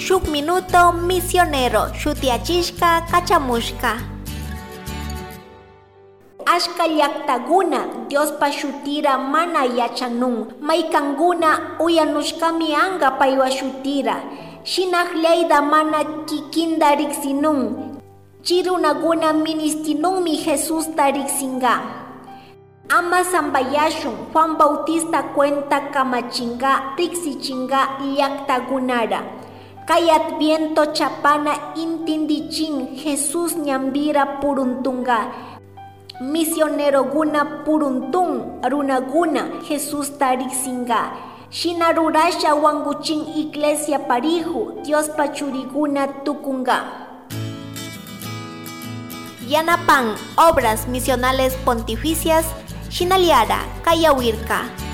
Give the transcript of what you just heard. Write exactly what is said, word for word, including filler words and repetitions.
Shuk minuto misionero shutiyachishka kachamushka. Ashka llaktakuna Diospa shutira mana yachanun. Maykankuna uyanushkami anka paywa shutira. Shinallayta mana kikinta riksinun. Chi runakuna ministinunmi Jesusta riksinka. Ama sampayashun Juan Bautista cuenta kamachinka, riksichinka llaktakunara. Kay Adviento chapana intindichin Jesús ñanpira puruntunka. Misionerokuna puruntun, runakuna Jesusta riksinka. Shina rurasha wankuchin iglesia parihu, Diospa churikuna tukunka. Yanapan Obras Misionales Pontificias, shinallara kayawirka.